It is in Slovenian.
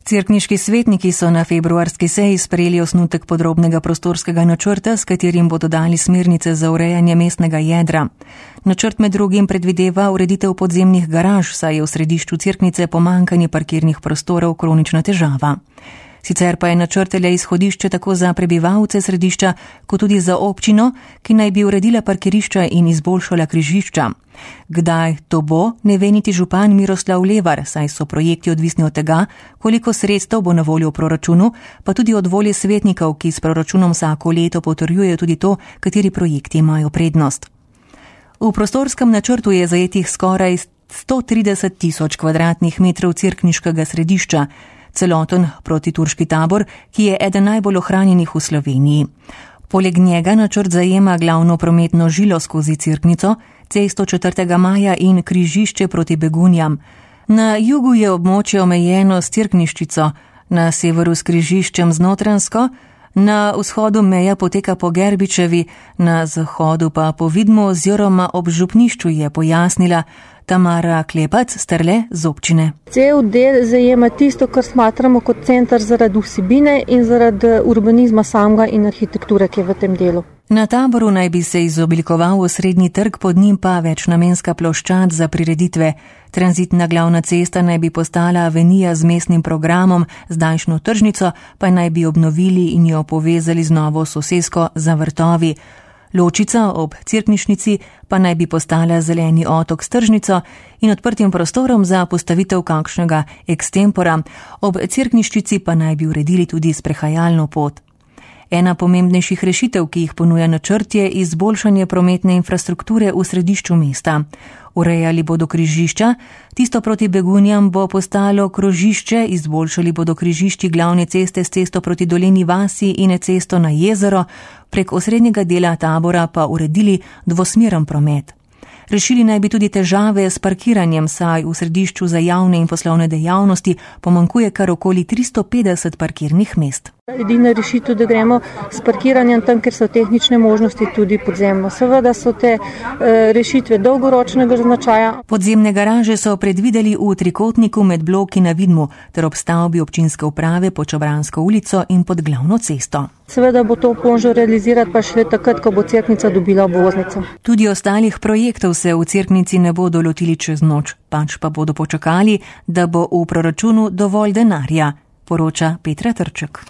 Cerkniški svetniki so na februarski seji sprejeli osnutek podrobnega prostorskega načrta, s katerim bodo dali smernice za urejanje mestnega jedra. Načrt med drugim predvideva ureditev podzemnih garaž, saj je v središču Cerknice pomanjkanje parkirnih prostorov kronična težava. Sicer pa je načrt le izhodišče tako za prebivalce središča, kot tudi za občino, ki naj bi uredila parkirišča in izboljšala križišča. Kdaj to bo, ne ve niti župan Miroslav Levar, saj so projekti odvisni od tega, koliko sredstev bo na voljo v proračunu, pa tudi od volje svetnikov, ki s proračunom vsako leto potrjujejo tudi to, kateri projekti imajo prednost. V prostorskem načrtu je zajetih skoraj 130 tisoč kvadratnih metrov cerkniškega središča, celoten protiturški tabor, ki je eden najbolj ohranjenih v Sloveniji. Poleg njega načrt zajema glavno prometno žilo skozi Cerknico, cesto 4. maja in križišče proti Begunjam. Na jugu je območje omejeno s Cerkniščico, na severu s križiščem z Notranjsko, na vzhodu meja poteka po Gerbičevi, na zahodu pa po Vidmu oziroma ob župnišču, je pojasnila Tamara Klepac, Strle z občine. Cel del zajema tisto, kar smatramo kot center zaradi vsebine in zaradi urbanizma samega in arhitekture, ki je v tem delu. Na taboru naj bi se izoblikoval osrednji trg, pod njim pa večnamenska ploščad za prireditve. Tranzitna glavna cesta naj bi postala avenija z mestnim programom, zdajšnjo tržnico pa naj bi obnovili in jo povezali z novo sosesko za vrtovi. Ločica ob Cerknišnici pa naj bi postala zeleni otok s tržnico in odprtim prostorom za postavitev kakšnega ekstempora. Ob Cerkniščici pa naj bi uredili tudi sprehajalno pot. Ena pomembnejših rešitev, ki jih ponuja načrt, je izboljšanje prometne infrastrukture v središču mesta. Urejali bodo križišča, tisto proti Begunjam bo postalo krožišče, izboljšali bodo križišči glavne ceste s cesto proti Doleni vasi in cesto na jezero, prek osrednjega dela tabora pa uredili dvosmeren promet. Rešili naj bi tudi težave s parkiranjem, saj v središču za javne in poslovne dejavnosti pomanjkuje kar okoli 350 parkirnih mest. Edina rešitev, da gremo s parkiranjem tam, ker so tehnične možnosti tudi podzemno. Seveda so te rešitve dolgoročnega značaja. Podzemne garaže so predvideli v trikotniku med bloki na Vidmu ter ob stavbi občinske uprave pod Čabransko ulico in pod glavno cesto. Seveda bo to možno realizirati pa šele takrat, ko bo Cerknica dobila obvoznico. Tudi ostalih projektov se v Cerknici ne bodo lotili čez noč, pač pa bodo počakali, da bo v proračunu dovolj denarja, poroča Petra Trček.